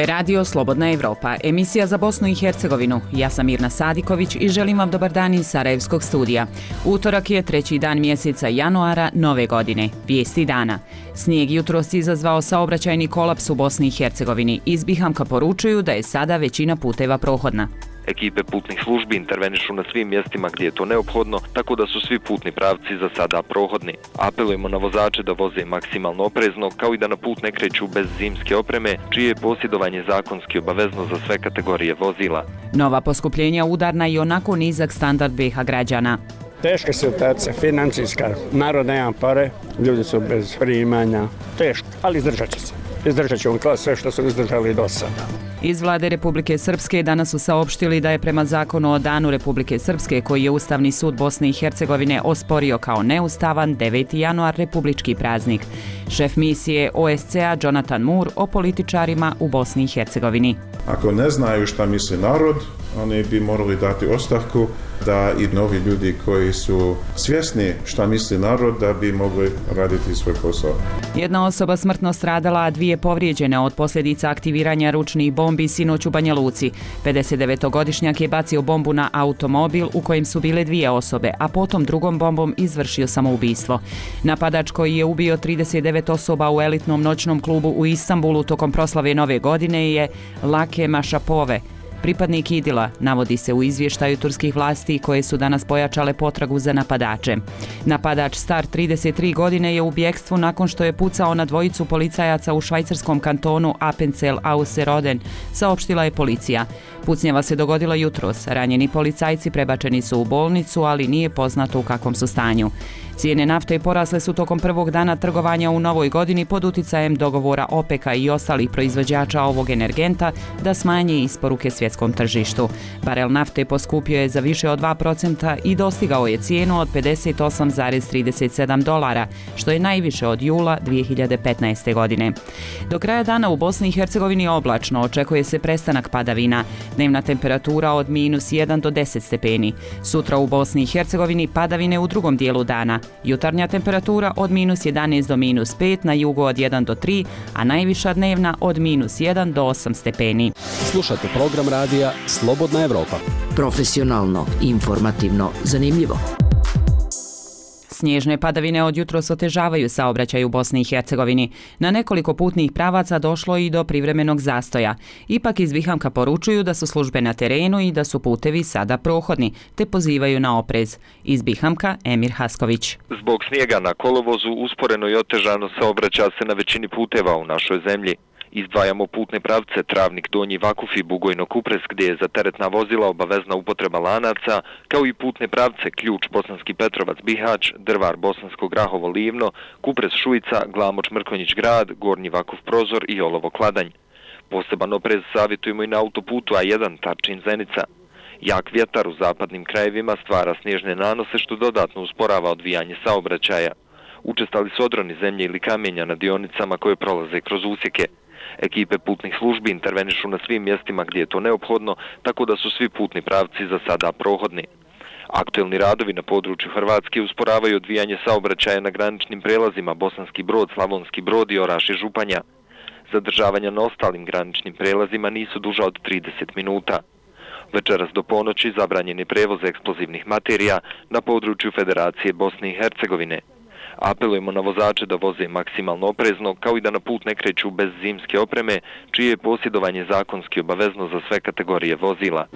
je Radio Slobodna Evropa, emisija za Bosnu i Hercegovinu. Ja sam Mirna Sadiković i želim vam dobar dan iz Sarajevskog studija. Utorak je 3. dan mjeseca januara nove godine. Vijesti dana. Snijeg jutros izazvao saobraćajni kolaps u Bosni i Hercegovini. Iz Bihamka poručuju da je sada većina puteva prohodna. Ekipe putnih službi intervenišu na svim mjestima gdje je to neophodno, tako da su svi putni pravci za sada prohodni. Apelujemo na vozače da voze maksimalno oprezno, kao i da na put ne kreću bez zimske opreme, čije je posjedovanje zakonski obavezno za sve kategorije vozila. Nova poskupljenja udarna i onako nizak standard BiH građana. Teška situacija, financijska, narod nema pare, ljudi su bez primanja, teško, ali izdržat će se. Izdržat ćemo kao sve što su izdržali do sada. Iz vlade Republike Srpske danas su saopštili da je prema zakonu o Danu Republike Srpske, koji je Ustavni sud Bosne i Hercegovine osporio kao neustavan, 9. januar republički praznik. Šef misije OSCE-a Jonathan Moore o političarima u Bosni i Hercegovini. Ako ne znaju šta misli narod, oni bi morali dati ostavku, da i novi ljudi koji su svjesni šta misli narod da bi mogli raditi svoj posao. Jedna osoba smrtno stradala, a 2 povrijeđene od posljedica aktiviranja ručnih bombi sinoć u Banja Luci. 59-godišnjak je bacio bombu na automobil u kojem su bile 2 osobe, a potom drugom bombom izvršio samoubistvo. Napadač koji je ubio 39 osoba u elitnom noćnom klubu u Istanbulu tokom proslave Nove godine je Lake Mašapove, pripadnik Idila, navodi se u izvještaju turskih vlasti koje su danas pojačale potragu za napadače. Napadač star 33 godine je u bjekstvu nakon što je pucao na 2 policajaca u švajcarskom kantonu Appenzell Ausserrhoden, saopštila je policija. Pucnjava se dogodila jutros. Ranjeni policajci prebačeni su u bolnicu, ali nije poznato u kakvom su stanju. Cijene nafte porasle su tokom prvog dana trgovanja u novoj godini pod uticajem dogovora OPEC-a i ostalih proizvođača ovog energenta da smanje isporuke svjetskom tržištu. Barel nafte poskupio je za više od 2% i dostigao je cijenu od $58,37, što je najviše od jula 2015. godine. Do kraja dana u Bosni i Hercegovini oblačno, očekuje se prestanak padavina. Dnevna temperatura od -1 do 10 stepeni. Sutra u Bosni i Hercegovini padavine u drugom dijelu dana. Jutarnja temperatura od -11 do -5, na jugu od 1 do 3, a najviša dnevna od -1 do 8 stepeni. Slušajte program radija Slobodna Evropa. Profesionalno, informativno, zanimljivo. Snježne padavine od jutros otežavaju saobraćaj u Bosni i Hercegovini. Na nekoliko putnih pravaca došlo i do privremenog zastoja. Ipak iz Bihamka poručuju da su službe na terenu i da su putevi sada prohodni, te pozivaju na oprez. Iz Bihamka Emir Hasković. Zbog snijega na kolovozu usporeno i otežano saobraća se na većini puteva u našoj zemlji. Izdvajamo putne pravce Travnik, Donji Vakuf i Bugojno Kupres, gdje je za teretna vozila obavezna upotreba lanaca, kao i putne pravce Ključ, Bosanski Petrovac, Bihać, Drvar, Bosansko Grahovo, Livno, Kupres, Šujica, Glamoč, Mrkonjić Grad, Gornji Vakuf, Prozor i Olovo, Kladanj. Poseban oprez savjetujemo i na autoputu A1 Tarčin, Zenica. Jak vjetar u zapadnim krajevima stvara snježne nanose, što dodatno usporava odvijanje saobraćaja. Učestali su odroni zemlje ili kamenja na dionicama koje prolaze kroz usjeke. Ekipe putnih službi intervenišu na svim mjestima gdje je to neophodno, tako da su svi putni pravci za sada prohodni. Aktuelni radovi na području Hrvatske usporavaju odvijanje saobraćaja na graničnim prelazima Bosanski Brod, Slavonski Brod i Oraš i Županja. Zadržavanja na ostalim graničnim prelazima nisu duža od 30 minuta. Večeras do ponoći zabranjen je prevoz eksplozivnih materija na području Federacije Bosne i Hercegovine. Apelujemo na vozače da voze maksimalno oprezno, kao i da na put ne kreću bez zimske opreme, čije je posjedovanje zakonski obavezno za sve kategorije vozila.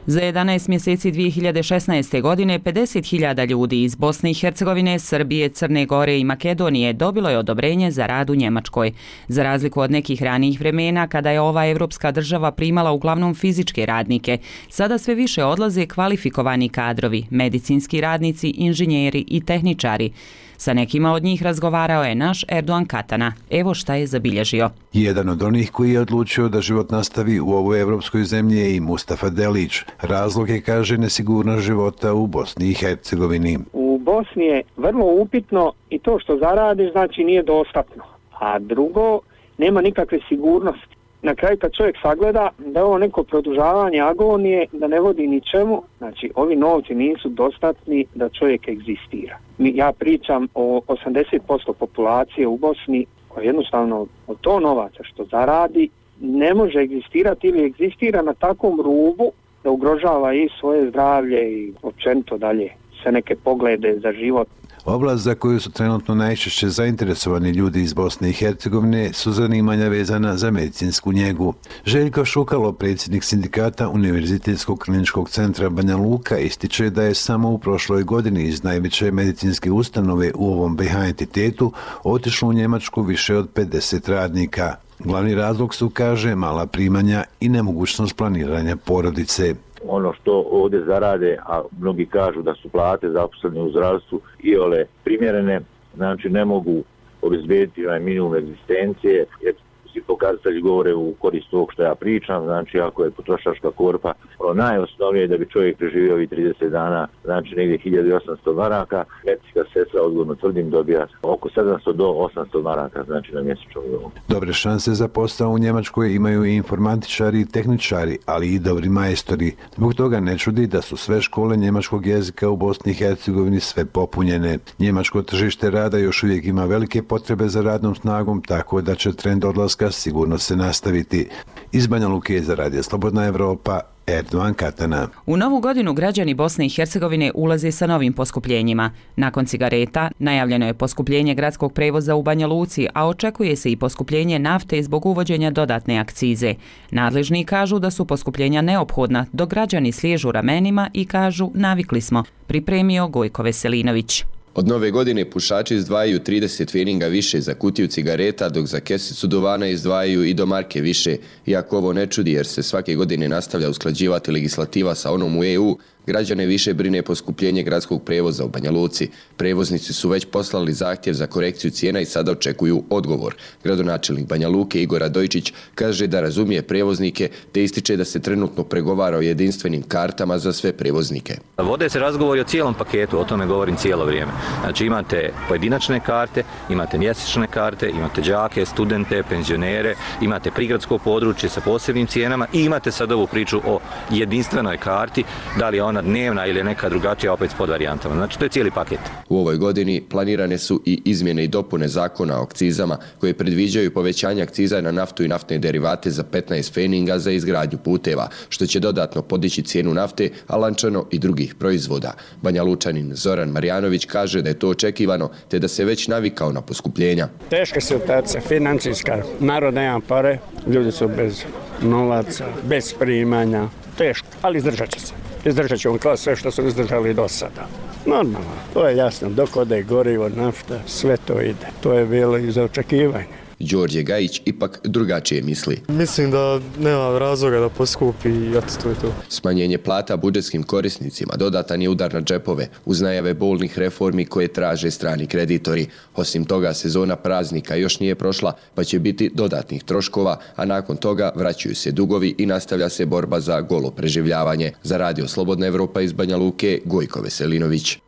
Za 11 mjeseci 2016. godine 50.000 ljudi iz Bosne i Hercegovine, Srbije, Crne Gore i Makedonije dobilo je odobrenje za rad u Njemačkoj. Za razliku od nekih ranijih vremena, kada je ova evropska država primala uglavnom fizičke radnike, sada sve više odlaze kvalifikovani kadrovi, medicinski radnici, inženjeri i tehničari. Sa nekima od njih razgovarao je naš Erdogan Katana. Evo šta je zabilježio. Jedan od onih koji je odlučio da život nastavi u ovoj evropskoj zemlji je i Mustafa Delić. Razlog je, kaže, nesigurnost života u Bosni i Hercegovini. U Bosni je vrlo upitno i to što zaradiš, znači nije dostatno. A drugo, nema nikakve sigurnosti. Na kraju kad čovjek sagleda da je ovo neko produžavanje agonije, da ne vodi ničemu, znači ovi novci nisu dostatni da čovjek egzistira. Ja pričam o 80% populacije u Bosni koji jednostavno od to novaca što zaradi ne može egzistirati ili egzistira na takvom rubu da ugrožava i svoje zdravlje i općenito dalje sve neke poglede za život. Oblast za koju su trenutno najčešće zainteresovani ljudi iz Bosne i Hercegovine su zanimanja vezana za medicinsku njegu. Željko Šukalo, predsjednik sindikata Univerzitetskog kliničkog centra Banja Luka, ističe da je samo u prošloj godini iz najveće medicinske ustanove u ovom BiH entitetu otišlo u Njemačku više od 50 radnika. Glavni razlog su, kaže, mala primanja i nemogućnost planiranja porodice. Ono što ovdje zarade, a mnogi kažu da su plate zaposleni u zdravstvu iole primjerene, znači ne mogu obezbediti minimum egzistencije, jer svi pokazatelji govore u korist ovog što ja pričam, znači ako je potrošačka korpa najosnovnije da bi čovjek preživio ovih 30 dana, znači negdje 1800 maraka, medicinska sestra, odgovorno tvrdim, dobija oko 700 do 800 maraka, znači na mjesečno nivou. Dobre šanse za posao u Njemačkoj imaju i informatičari i tehničari, ali i dobri majstori. Zbog toga ne čudi da su sve škole njemačkog jezika u Bosni i Hercegovini sve popunjene. Njemačko tržište rada još uvijek ima velike potrebe za radnom snagom, tako da će trend odlaska sigurno se nastaviti. Iz Banja Luke za Radio Slobodna Evropa, Erdogan Katana. U novu godinu građani Bosne i Hercegovine ulaze sa novim poskupljenjima. Nakon cigareta najavljeno je poskupljenje gradskog prevoza u Banja Luci, a očekuje se i poskupljenje nafte zbog uvođenja dodatne akcize. Nadležni kažu da su poskupljenja neophodna, dok građani sliježu ramenima i kažu navikli smo, pripremio Gojko Veselinović. Od nove godine pušači izdvajaju 30 feninga više za kutiju cigareta, dok za kesicu duvana izdvajaju i do marke više. Iako ovo ne čudi jer se svake godine nastavlja usklađivati legislativa sa onom u EU, građane više brine poskupljenje gradskog prevoza u Banja Luci. Prevoznici su već poslali zahtjev za korekciju cijena i sada očekuju odgovor. Gradonačelnik Banja Luke Igor Radojčić kaže da razumije prevoznike te ističe da se trenutno pregovara o jedinstvenim kartama za sve prevoznike. Vode se razgovori o cijelom paketu, o tome govorim cijelo vrijeme. Znači imate pojedinačne karte, imate mjesečne karte, imate đake, studente, penzionere, imate prigradsko područje sa posebnim cijenama i imate sad ovu priču o jedinstvenoj karti, da li je ona dnevna ili neka drugačija, opet s podvarijantama. Znači to je cijeli paket. U ovoj godini planirane su i izmjene i dopune zakona o akcizama koje predviđaju povećanje akciza na naftu i naftne derivate za 15 feninga za izgradnju puteva, što će dodatno podići cijenu nafte, a lančano i drugih proizvoda. Banja Lučanin Zoran Marjanović kaže da je to očekivano te da se već navikao na poskupljenja. Teška situacija, financijska, narod nema pare, ljudi su bez novaca, bez primanja, teško, ali izdržat će se. Izdržat ćemo kao sve što su izdržali do sada. Normalno, to je jasno, dok ode gorivo, nafta, sve to ide. To je bilo i za očekivanje. Đorđe Gajić ipak drugačije misli. Mislim da nema razloga da poskupi i to je to. Smanjenje plata budžetskim korisnicima dodatan je udar na džepove uz najave bolnih reformi koje traže strani kreditori. Osim toga, sezona praznika još nije prošla, pa će biti dodatnih troškova, a nakon toga vraćaju se dugovi i nastavlja se borba za golo preživljavanje. Za Radio Slobodna Evropa iz Banja Luke, Gojko Veselinović.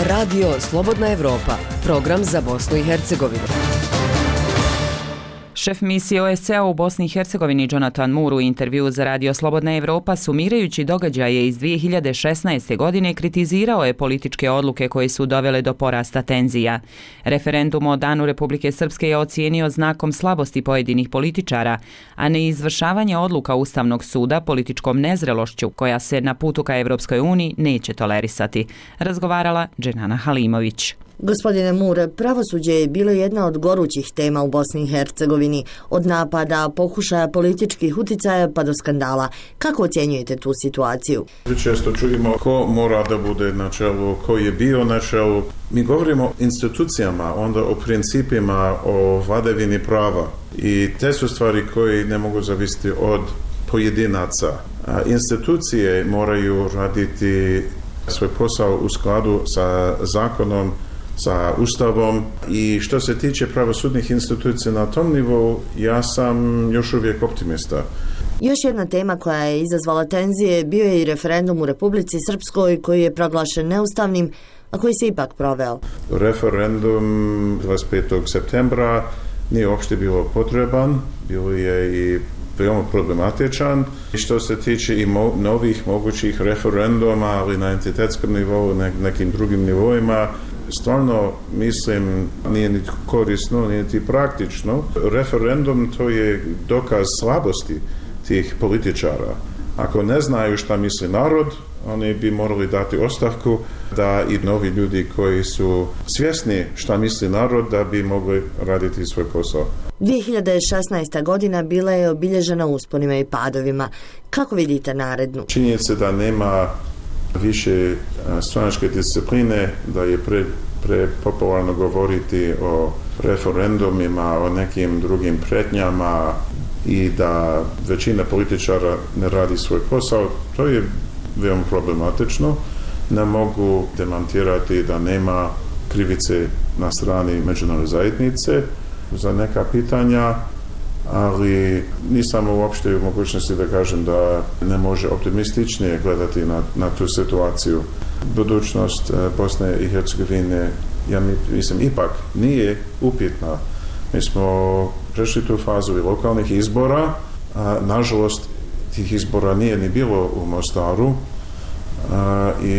Radio Slobodna Evropa, program za Bosnu i Hercegovinu. Šef misije OSCE u Bosni i Hercegovini Jonathan Moore u intervjuu za Radio Slobodna Evropa, sumirajući događaje iz 2016. godine, kritizirao je političke odluke koje su dovele do porasta tenzija. Referendum o Danu Republike Srpske je ocijenio znakom slabosti pojedinih političara, a neizvršavanje odluka Ustavnog suda političkom nezrelošću koja se na putu ka Evropskoj uniji neće tolerisati. Razgovarala Dženana Halimović. Gospodine Moore, pravosuđe je bilo jedna od gorućih tema u Bosni i Hercegovini, od napada, pokušaja političkih uticaja pa do skandala. Kako ocjenjujete tu situaciju? Često čujemo ko mora da bude na čelu, ko je bio na čelu. Mi govorimo o institucijama, onda o principima, o vladavini prava. I te su stvari koje ne mogu zavisiti od pojedinaca. Institucije moraju raditi svoj posao u skladu sa zakonom, sa Ustavom i što se tiče pravosudnih institucija na tom nivou, ja sam još uvijek optimista. Još jedna tema koja je izazvala tenzije bio je i referendum u Republici Srpskoj koji je proglašen neustavnim, a koji se ipak proveo. Referendum 25. septembra nije uopšte bilo potreban, bilo je i veoma problematičan. I što se tiče i novih mogućih referenduma, ali na entitetskom nivou, nekim drugim nivoima, stvarno mislim nije niti korisno, nije niti praktično. Referendum to je dokaz slabosti tih političara. Ako ne znaju šta misli narod, oni bi morali dati ostavku da i novi ljudi koji su svjesni šta misli narod da bi mogli raditi svoj posao. 2016. godina bila je obilježena usponima i padovima. Kako vidite narednu? Činjenica da nema više stranačke discipline, da je prepopularno govoriti o referendumima, o nekim drugim pretnjama i da većina političara ne radi svoj posao, to je veoma problematično. Ne mogu demantirati da nema krivice na strani međunarodne zajednice za neka pitanja, ali nisam uopšte u mogućnosti da kažem da ne može optimističnije gledati na tu situaciju. Budućnost Bosne i Hercegovine, ja mislim, ipak nije upitna. Mi smo prešli tu fazu i lokalnih izbora, nažalost tih izbora nije ni bilo u Mostaru i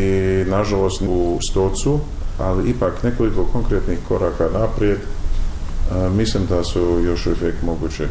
nažalost u Stocu, ali ipak nekoliko konkretnih koraka naprijed mislim da su još uvijek moguće.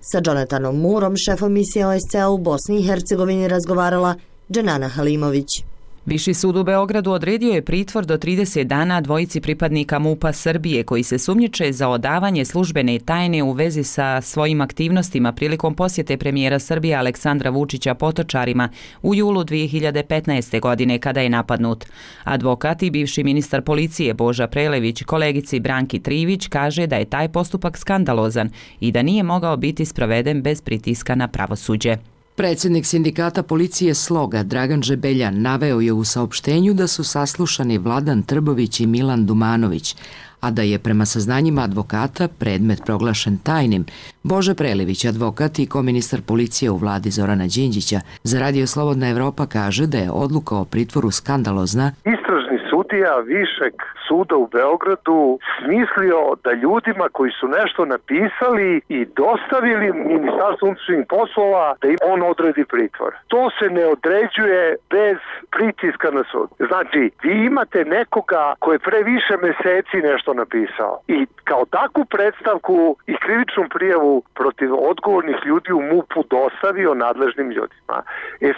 Sa Jonathanom Moorom, šefom misije OSCE u Bosni i Hercegovini, razgovarala Dženana Halimović. Viši sud u Beogradu odredio je pritvor do 30 dana dvojici pripadnika MUP-a Srbije koji se sumnjiče za odavanje službene tajne u vezi sa svojim aktivnostima prilikom posjete premijera Srbije Aleksandra Vučića Potočarima u julu 2015. godine kada je napadnut. Advokat i bivši ministar policije Boža Prelević kolegici Branki Trivić kaže da je taj postupak skandalozan i da nije mogao biti sproveden bez pritiska na pravosuđe. Predsjednik sindikata policije Sloga Dragan Žebeljan naveo je u saopštenju da su saslušani Vladan Trbović i Milan Dumanović, a da je prema saznanjima advokata predmet proglašen tajnim. Bože Prelević, advokat i koministar policije u vladi Zorana Đinđića, za Radio Slobodna Evropa kaže da je odluka o pritvoru skandalozna. Istražni sudija Višeg suda u Beogradu smislio da ljudima koji su nešto napisali i dostavili Ministarstvu unutrašnjih poslova da im on odredi pritvor. To se ne određuje bez pritiska na sud. Znači, vi imate nekoga koji je pre više meseci nešto napisao i kao takvu predstavku i krivičnu prijavu protiv odgovornih ljudi u MUP-u dostavio nadležnim ljudima.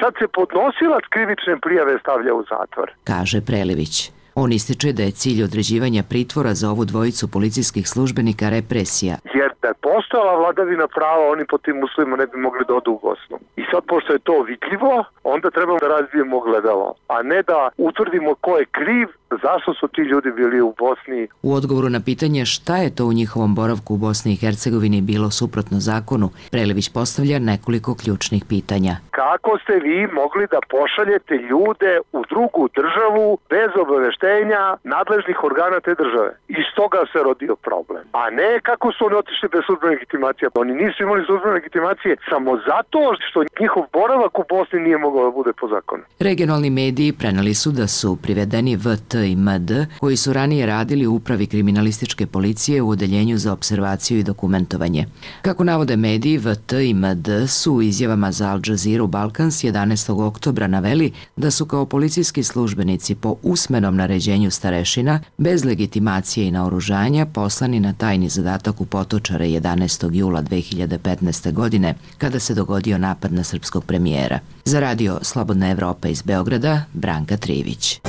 Sad se podnosilac krivične prijave stavlja u zatvor, kaže Prelević. On ističe da je cilj određivanja pritvora za ovu dvojicu policijskih službenika represija. Jer da je postojala vladavina prava, oni po tim uslovima ne bi mogli da odu u Bosnu. I sad, pošto je to vidljivo, onda trebamo da razbijemo gledalo, a ne da utvrdimo ko je kriv, zašto su ti ljudi bili u Bosni. U odgovoru na pitanje šta je to u njihovom boravku u Bosni i Hercegovini bilo suprotno zakonu, Prelević postavlja nekoliko ključnih pitanja. Kako ste vi mogli da pošaljete ljude u drugu državu bez obaveštenja nadležnih organa te države? Iz toga se rodio problem. A ne kako su oni otišli bez službene legitimacije. Oni nisu imali službene legitimacije samo zato što njihov boravak u Bosni nije mogao da bude po zakonu. Regionalni mediji preneli su da su privedeni VT i MD, koji su ranije radili u upravi kriminalističke policije u odeljenju za observaciju i dokumentovanje. Kako navode mediji, VT i MD su u izjavama za Al Jazeera Balkans 11. oktobra naveli da su kao policijski službenici po usmenom naređenju starešina, bez legitimacije i naoružanja, poslani na tajni zadatak u Potočare 11. jula 2015. godine, kada se dogodio napad na srpskog premijera. Za Radio Slobodna Evropa iz Beograda, Branka Trivić.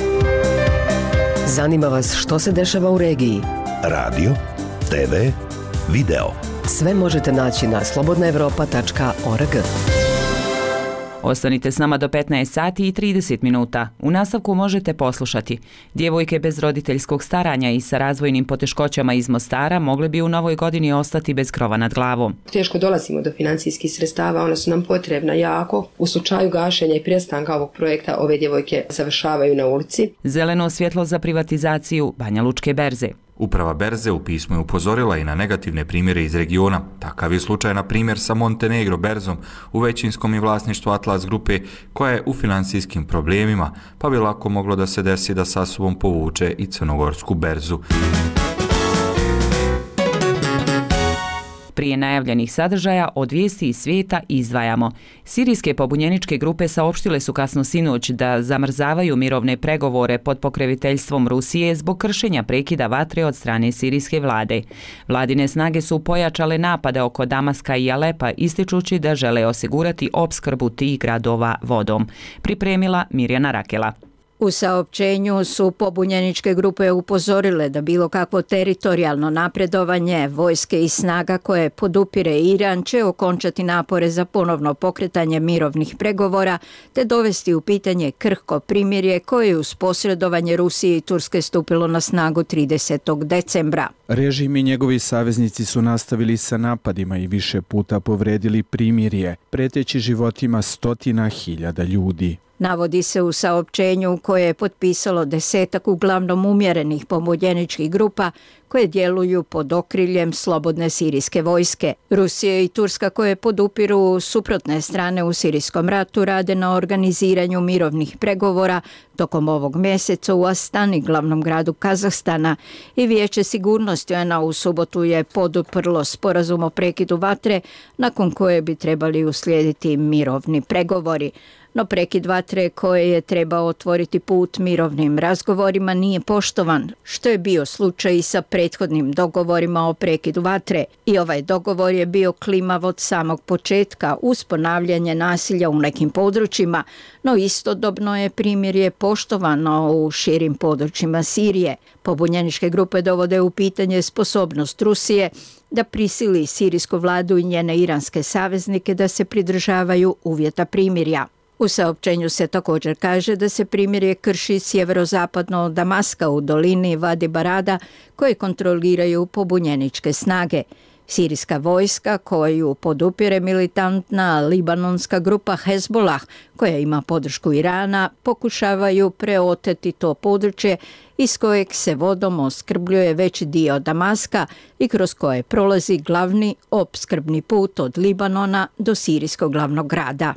Zanima vas što se dešava u regiji? Radio, TV, video. Sve možete naći na slobodnaevropa.org. Ostanite s nama do 15 sati i 30 minuta. U nastavku možete poslušati. Djevojke bez roditeljskog staranja i sa razvojnim poteškoćama iz Mostara mogle bi u novoj godini ostati bez krova nad glavom. Teško dolazimo do financijskih sredstava, ona su nam potrebna jako. U slučaju gašenja i prestanka ovog projekta ove djevojke završavaju na ulici. Zeleno svjetlo za privatizaciju Banja Lučke berze. Uprava berze u pismu je upozorila i na negativne primjere iz regiona. Takav je slučaj na primjer sa Montenegro berzom u većinskom i vlasništvu Atlas grupe koja je u financijskim problemima, pa bi lako moglo da se desi da sa sobom povuče i crnogorsku berzu. Prije najavljenih sadržaja od vijesti iz svijeta izdvajamo. Sirijske pobunjeničke grupe saopštile su kasno sinoć da zamrzavaju mirovne pregovore pod pokroviteljstvom Rusije zbog kršenja prekida vatre od strane sirijske vlade. Vladine snage su pojačale napade oko Damaska i Alepa, ističući da žele osigurati opskrbu tih gradova vodom. Pripremila Mirjana Rakela. U saopćenju su pobunjeničke grupe upozorile da bilo kakvo teritorijalno napredovanje vojske i snaga koje podupire Iran će okončati napore za ponovno pokretanje mirovnih pregovora te dovesti u pitanje krhko primirje koje je uz posredovanje Rusije i Turske stupilo na snagu 30. decembra. Režim i njegovi saveznici su nastavili sa napadima i više puta povredili primirje, preteći životima stotina hiljada ljudi. Navodi se u saopćenju koje je potpisalo 10 uglavnom umjerenih pobunjeničkih grupa koje djeluju pod okriljem slobodne sirijske vojske. Rusija i Turska koje podupiru suprotne strane u sirijskom ratu rade na organiziranju mirovnih pregovora tokom ovog mjeseca u Astani, glavnom gradu Kazahstana, i Vijeće sigurnosti UN-a u subotu je poduprlo sporazum o prekidu vatre nakon koje bi trebali uslijediti mirovni pregovori. No prekid vatre koje je trebao otvoriti put mirovnim razgovorima nije poštovan, što je bio slučaj i sa prethodnim dogovorima o prekidu vatre. I ovaj dogovor je bio klimav od samog početka uz ponavljanje nasilja u nekim područjima, no istodobno je primirje poštovano u širim područjima Sirije. Pobunjeničke grupe dovode u pitanje sposobnost Rusije da prisili sirijsku vladu i njene iranske saveznike da se pridržavaju uvjeta primirja. U saopćenju se također kaže da se primirje krši sjeverozapadno od Damaska u dolini Vadi Barada koje kontroliraju pobunjeničke snage. Sirijska vojska koju podupire militantna libanonska grupa Hezbollah koja ima podršku Irana pokušavaju preoteti to područje iz kojeg se vodom opskrbljuje veći dio Damaska i kroz koje prolazi glavni opskrbni put od Libanona do sirijskog glavnog grada.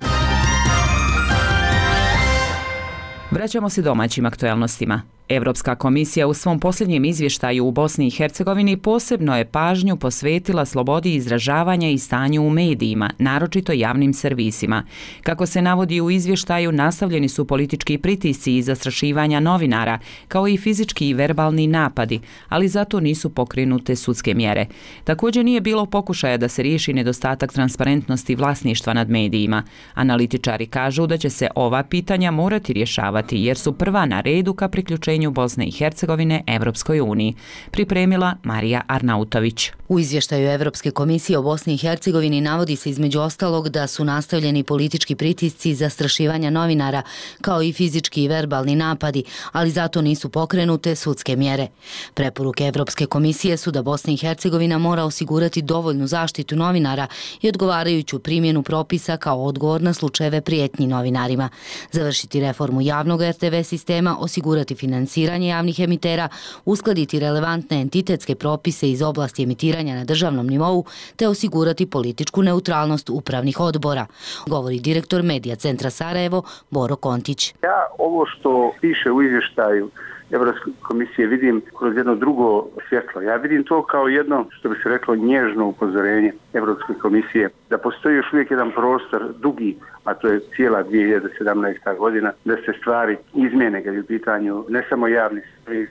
Vraćamo se domaćim aktualnostima. Europska komisija u svom posljednjem izvještaju u Bosni i Hercegovini posebno je pažnju posvetila slobodi izražavanja i stanju u medijima, naročito javnim servisima. Kako se navodi u izvještaju, nastavljeni su politički pritisci i zastrašivanja novinara, kao i fizički i verbalni napadi, ali zato nisu pokrenute sudske mjere. Također nije bilo pokušaja da se riješi nedostatak transparentnosti vlasništva nad medijima. Analitičari kažu da će se ova pitanja morati rješavati jer su prva na redu ka priključenju Bosne i Hercegovine Evropskoj uniji. Pripremila Marija Arnautović. U izvještaju Evropske komisije o Bosni i Hercegovini navodi se između ostalog da su nastavljeni politički pritisci, zastrašivanja novinara, kao i fizički i verbalni napadi, ali zato nisu pokrenute sudske mjere. Preporuke Evropske komisije su da Bosna i Hercegovina mora osigurati dovoljnu zaštitu novinara i odgovarajuću primjenu propisa kao odgovor na slučajeve prijetnji novinarima, završiti reformu javnog RTV sistema, osigurati financiranje javnih emitera, uskladiti relevantne entitetske propise iz oblasti emitiranja na državnom nivou te osigurati političku neutralnost upravnih odbora, govori direktor Medija centra Sarajevo Boro Kontić. Ja ovo što piše u izvještaju Evropske komisije vidim kroz jedno drugo svjetlo. Ja vidim to kao jedno, što bi se reklo, nježno upozorenje Evropske komisije da postoji još uvijek jedan prostor dugi, a to je cijela 2017. godina, da se stvari izmjene kad je u pitanju ne samo javni servis,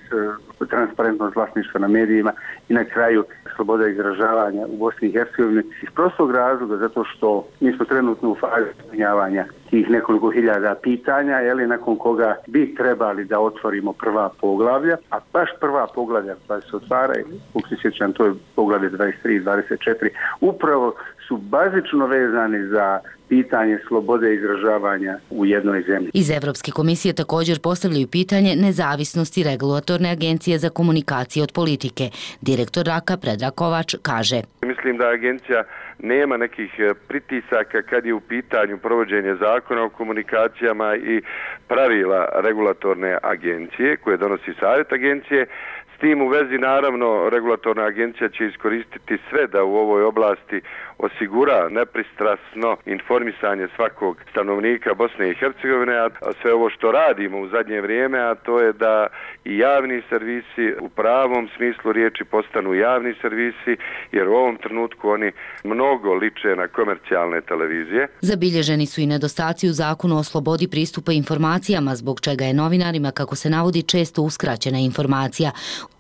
transparentnost vlasništva na medijima i na kraju sloboda izražavanja u Bosni i Hercegovini. Iz prostog razloga, zato što mi smo trenutno u fazi ispunjavanja tih nekoliko hiljada pitanja, nakon koga bi trebali da otvorimo prva poglavlja, a baš prva poglavlja koja se otvaraju, kako se sjećam, to je poglavlje 23 i 24, upravo su bazično vezani za pitanje slobode izražavanja u jednoj zemlji. Iz Evropske komisije također postavljaju pitanje nezavisnosti regulatorne agencije za komunikacije od politike. Direktor RAKA Predrag Kovač kaže: Mislim da agencija nema nekih pritisaka kad je u pitanju provođenje zakona o komunikacijama i pravila regulatorne agencije koje donosi savjet agencije. S tim u vezi, naravno, regulatorna agencija će iskoristiti sve da u ovoj oblasti osigura nepristrasno informisanje svakog stanovnika Bosne i Hercegovine, a sve ovo što radimo u zadnje vrijeme, a to je da i javni servisi u pravom smislu riječi postanu javni servisi, jer u ovom trenutku oni mnogo liče na komercijalne televizije. Zabilježeni su i nedostaci u zakonu o slobodi pristupa informacijama, zbog čega je novinarima, kako se navodi, često uskraćena informacija.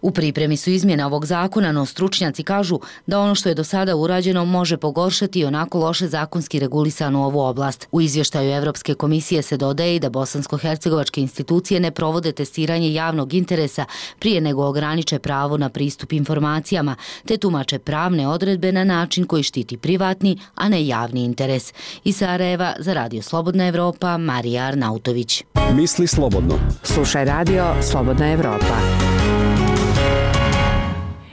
U pripremi su izmjene ovog zakona, no stručnjaci kažu da ono što je do sada urađeno može pogoršati onako loše zakonski regulisanu ovu oblast. U izvještaju Evropske komisije se dodaje i da bosansko-hercegovačke institucije ne provode testiranje javnog interesa prije nego ograniče pravo na pristup informacijama, te tumače pravne odredbe na način koji štiti privatni, a ne javni interes. Iz Sarajeva za Radio Slobodna Evropa, Marija Arnautović. Misli slobodno. Slušaj Radio Slobodna Evropa.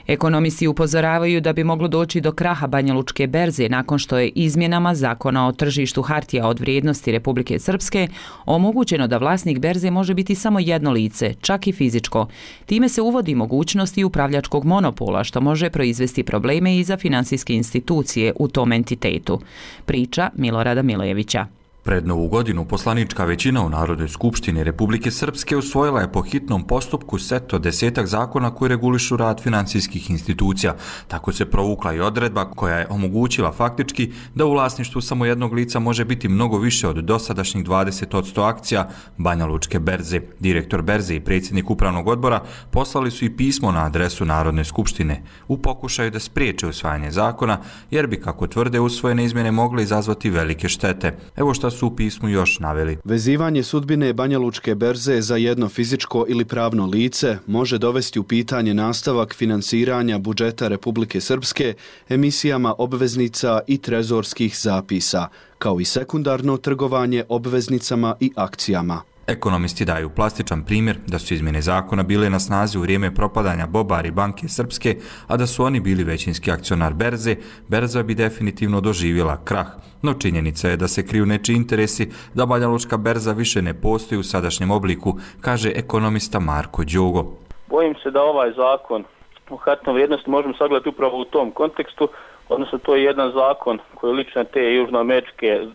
Ekonomisti upozoravaju da bi moglo doći do kraha Banjalučke berze nakon što je izmjenama Zakona o tržištu hartija od vrijednosti Republike Srpske omogućeno da vlasnik berze može biti samo jedno lice, čak i fizičko. Time se uvodi mogućnost i upravljačkog monopola, što može proizvesti probleme i za finansijske institucije u tom entitetu. Priča Milorada Milojevića. Pred Novu godinu poslanička većina u Narodnoj skupštini Republike Srpske usvojila je po hitnom postupku set od 10 zakona koji regulišu rad finansijskih institucija. Tako se provukla i odredba koja je omogućila faktički da u vlasništvu samo jednog lica može biti mnogo više od dosadašnjih 20% akcija Banjalučke berze. Direktor berze i predsjednik upravnog odbora poslali su i pismo na adresu Narodne skupštine u pokušaju da spriječe usvajanje zakona, jer bi, kako tvrde, usvojene izmjene mogle izazvati velike štete. Evo šta su u pismu još naveli. Vezivanje sudbine Banjalučke berze za jedno fizičko ili pravno lice može dovesti u pitanje nastavak finansiranja budžeta Republike Srpske emisijama obveznica i trezorskih zapisa, kao i sekundarno trgovanje obveznicama i akcijama. Ekonomisti daju plastičan primjer da su izmjene zakona bile na snazi u vrijeme propadanja Bobari banke Srpske, a da su oni bili većinski akcionar berze, berza bi definitivno doživjela krah. No činjenica je da se kriju nečiji interesi da Banjalučka berza više ne postoji u sadašnjem obliku, kaže ekonomista Marko Đogo. Bojim se da ovaj zakon o hartnoj vrijednosti možemo sagledati upravo u tom kontekstu, odnosno to je jedan zakon koji liči na te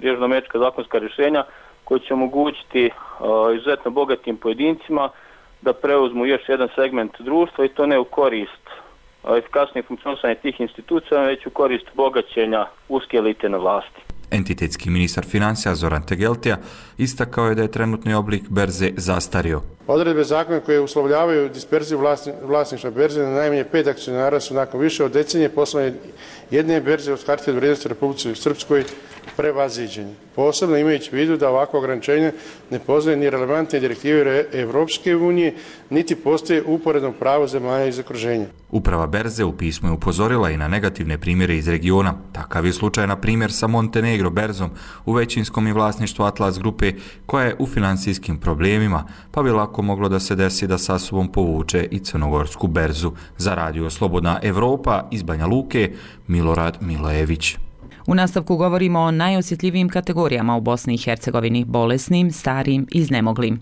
južnoamerička zakonska rješenja koji će omogućiti izuzetno bogatim pojedincima da preuzmu još jedan segment društva, i to ne u korist efikasnijeg funkcionisanja tih institucija, već u korist bogaćenja uske elite na vlasti. Entitetski ministar financija Zoran Tegeltija istakao je da je trenutni oblik berze zastario. Odredbe zakona koje uslovljavaju disperziju vlasništva berze na najmanje 5 akcionara su nakon više od decenije poslovne jedne berze od hartije od vrijednosti Republike Srpskoj prevaziđenje. Posebno imajući u vidu da ovako ograničenje ne poznaje ni relevantne direktive Evropske unije, niti postoje uporedno pravo zemalja iz okruženja. Uprava berze u pismu je upozorila i na negativne primjere iz regiona. Takav je slučaj, na primjer, sa Montenegro berzom u većinskom i vlasništvu Atlas grupe, koja je u financijskim problemima, pa bi lako moglo da se desi da sa sobom povuče i crnogorsku berzu. Za Radio Slobodna Evropa iz Banja Luke, Milorad Milojević. U nastavku govorimo o najosjetljivijim kategorijama u Bosni i Hercegovini: bolesnim, starim i iznemoglim.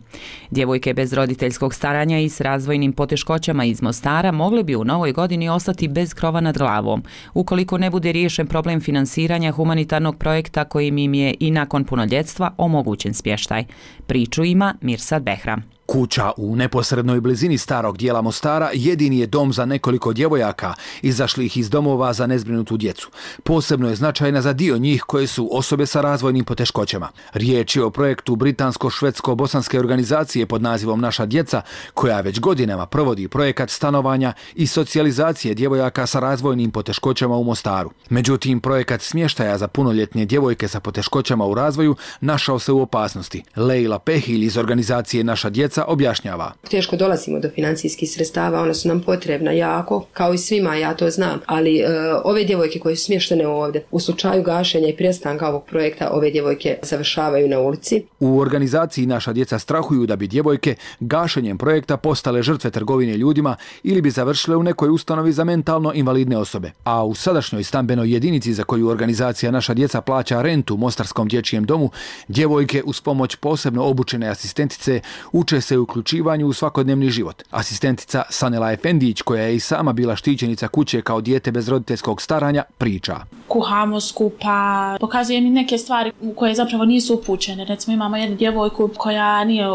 Djevojke bez roditeljskog staranja i s razvojnim poteškoćama iz Mostara mogle bi u novoj godini ostati bez krova nad glavom, ukoliko ne bude riješen problem finansiranja humanitarnog projekta kojim im je i nakon punoljetstva omogućen smještaj. Priču ima Mirsad Behram. Kuća u neposrednoj blizini starog dijela Mostara jedini je dom za nekoliko djevojaka izašlih iz domova za nezbrinutu djecu. Posebno je značajna za dio njih koje su osobe sa razvojnim poteškoćama. Riječ je o projektu britansko-švedsko-bosanske organizacije pod nazivom Naša djeca, koja već godinama provodi projekat stanovanja i socijalizacije djevojaka sa razvojnim poteškoćama u Mostaru. Međutim, projekat smještaja za punoljetne djevojke sa poteškoćama u razvoju našao se u opasnosti. Lejla Pehilj iz organizacije Naša djeca objašnjava. Teško dolazimo do financijskih sredstava, ona su nam potrebna jako, kao i svima, ja to znam, ali ove djevojke koje su smještene ovdje, u slučaju gašenja i prestanka ovog projekta, ove djevojke završavaju na ulici. U organizaciji Naša djeca strahuju da bi djevojke gašenjem projekta postale žrtve trgovine ljudima ili bi završile u nekoj ustanovi za mentalno invalidne osobe. A u sadašnjoj stambenoj jedinici za koju organizacija Naša djeca plaća rentu u Mostarskom dječjem domu, djevojke uz pomoć posebno obučene asistentice uče doprinose uključivanju u svakodnevni život. Asistentica Sanela Efendić, koja je i sama bila štićenica kuće kao dijete bez roditeljskog staranja, priča. Kuhamo skupa, pokazuje mi neke stvari koje zapravo nisu upućene. Recimo imamo jednu djevojku koja nije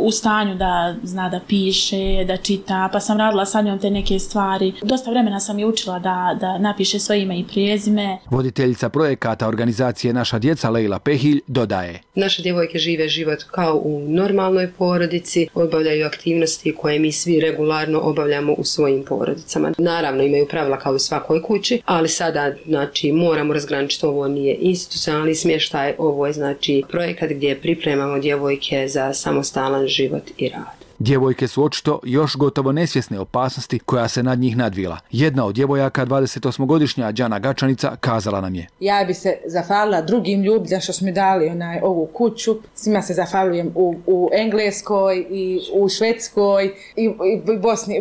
u stanju da zna da piše, da čita, pa sam radila sa njom te neke stvari. Dosta vremena sam je učila da napiše svoje ime i prezime. Voditeljica projekata organizacije Naša djeca Lejla Pehilj dodaje. Naše djevojke žive život kao u normalnoj porodici, obavljaju aktivnosti koje mi svi regularno obavljamo u svojim porodicama. Naravno imaju pravila kao u svakoj kući, ali sada moramo razgraničiti, ovo nije institucionalni smještaj, ovo je projekat gdje pripremamo djevojke za samostalan život i rad. Djevojke su očito još gotovo nesvjesne opasnosti koja se nad njih nadvila. Jedna od djevojaka, 28-godišnja Đana Gačanica, kazala nam je. Ja bi se zahvalila drugim ljudima što su mi dali ovu kuću. Svima se zahvaljujem u Engleskoj i u Švedskoj i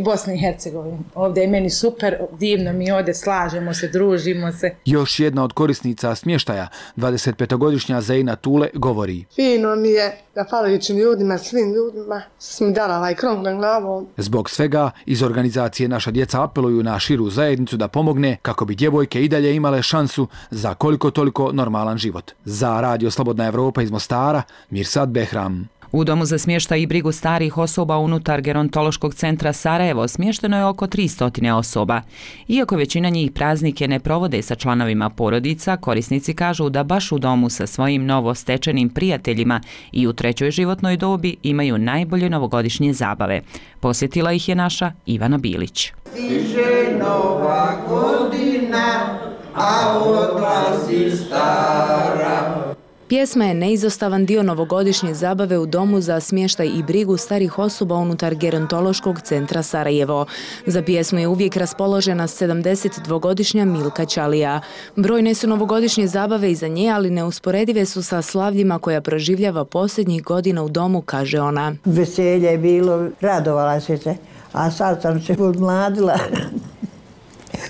Bosni i Hercegovini. Ovdje je meni super, divno mi ovdje, slažemo se, družimo se. Još jedna od korisnica smještaja, 25-godišnja Zejna Tule, govori. Fino mi je, zahvaljujući ljudima, svim ljudima, što mi dala ovaj krov na glavom. Zbog svega, iz organizacije Naša djeca apeluju na širu zajednicu da pomogne kako bi djevojke i dalje imale šansu za koliko toliko normalan život. Za Radio Slobodna Evropa iz Mostara, Mirsad Behram. U domu za smještaj i brigu starih osoba unutar Gerontološkog centra Sarajevo smješteno je oko 300 osoba. Iako većina njih praznike ne provode sa članovima porodica, korisnici kažu da baš u domu sa svojim novostečenim prijateljima i u trećoj životnoj dobi imaju najbolje novogodišnje zabave. Posjetila ih je naša Ivana Bilić. Stiže nova godina, a odlazi stara. Pjesma je neizostavan dio novogodišnje zabave u domu za smještaj i brigu starih osoba unutar Gerontološkog centra Sarajevo. Za pjesmu je uvijek raspoložena 72-godišnja Milka Ćalija. Brojne su novogodišnje zabave iza nje, ali neusporedive su sa slavljima koja proživljava posljednjih godina u domu, kaže ona. Veselje je bilo, radovala se, a sad sam se odmladila.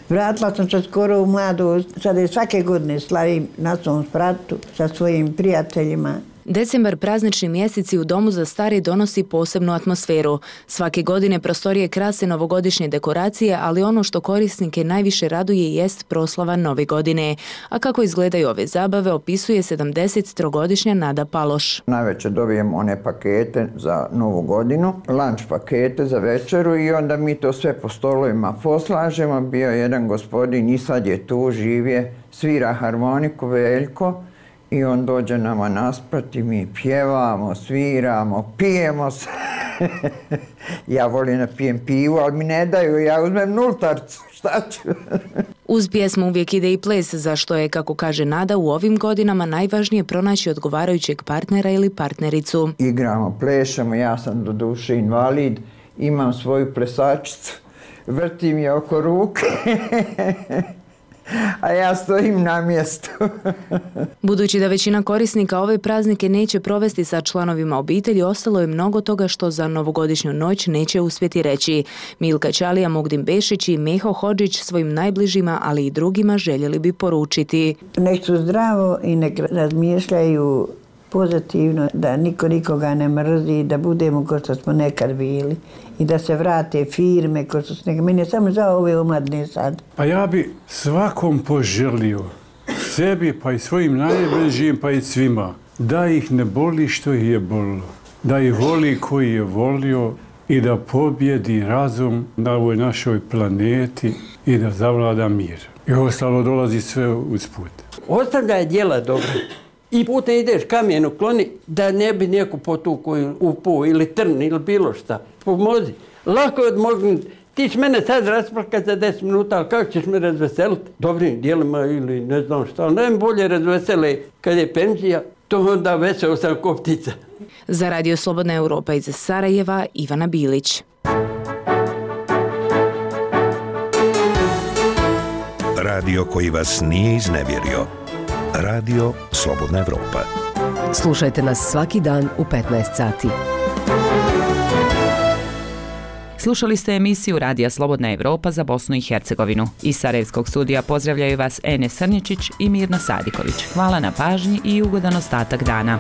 Vratila sam se skoro u mladu, sada je svake godine slavim na svom spratu sa svojim prijateljima. Decembar, praznični mjeseci u domu za stare donosi posebnu atmosferu. Svake godine prostorije krase novogodišnje dekoracije, ali ono što korisnike najviše raduje jest proslava Nove godine. A kako izgledaju ove zabave, opisuje 73-godišnja Nada Paloš. Navečer dobijem one pakete za Novu godinu, lunch pakete za večeru i onda mi to sve po stolovima poslažemo. Bio jedan gospodin i sad je tu, živje, svira harmoniku, Veljko. I on dođe nama nasprat i mi pjevamo, sviramo, pijemo se. Ja volim da pijem pivu, ali mi ne daju, ja uzmem nultarcu, šta ću? Uz pjesmu uvijek ide i ples, za što je, kako kaže Nada, u ovim godinama najvažnije pronaći odgovarajućeg partnera ili partnericu. Igramo, plešemo, ja sam do duše invalid, imam svoju plesačicu, vrtim je oko ruke. A ja stojim na mjestu. Budući da većina korisnika ove praznike neće provesti sa članovima obitelji, ostalo je mnogo toga što za novogodišnju noć neće uspjeti reći. Milka Ćalija, Mogdin Bešić i Meho Hodžić svojim najbližima, ali i drugima željeli bi poručiti. Nek su zdravo i nek razmišljaju pozitivno, da niko nikoga ne mrzi, da budemo kao što smo nekad bili i da se vrate firme kao što su nekad. Meni je samo za ove omladne sad. Pa ja bi svakom poželio, sebi pa i svojim najbližim pa i svima, da ih ne boli što ih je bolilo, da ih voli koji je volio i da pobjedi razum na ovoj našoj planeti i da zavlada mir. I ostalo dolazi sve usput. Ostavljaj djela dobra. I putem ideš kamen ukloni da ne bi neko potuku upuo ili trn ili bilo šta. Pomozi. Lako je odmognuti. Ti će mene sad rasplakati za 10 minuta, ali kako ćeš me razveseliti? Dobrim dijelima ili ne znam šta. Ali najbolje razvesele kad je penzija, to onda veseo sam ko ptica. Za Radio Slobodna Evropa iz Sarajeva, Ivana Bilić. Radio koji vas nije iznevjerio. Radio Slobodna Evropa. Slušajte nas svaki dan u 15 sati. Slušali ste emisiju Radija Slobodna Evropa za Bosnu i Hercegovinu. Iz Sarajevskog studija pozdravljaju vas Enes Srnjičić i Mirna Sadiković. Hvala na pažnji i ugodan ostatak dana.